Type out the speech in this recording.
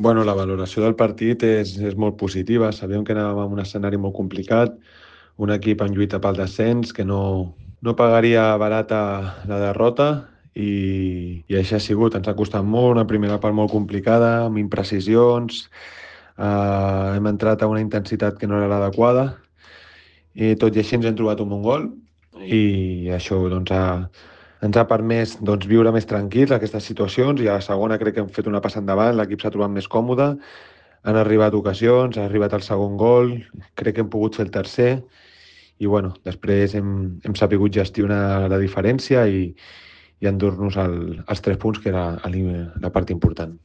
La valoració del partit és molt positiva. Sabíem que anàvem en un escenari molt complicat, un equip en lluita pel descens, que no pagaria barata la derrota i així ha sigut. Ens ha costat molt, una primera part molt complicada, amb imprecisions, hem entrat a una intensitat que no era l'adequada i tot i així ens hem trobat un bon gol i això ens ha permès viure més tranquils aquestes situacions i a la segona crec que hem fet una passa endavant, l'equip s'ha trobat més còmode, han arribat ocasions, ha arribat el segon gol, crec que hem pogut fer el tercer i després hem sabut gestionar la diferència i endur-nos els 3 punts, que era la part important.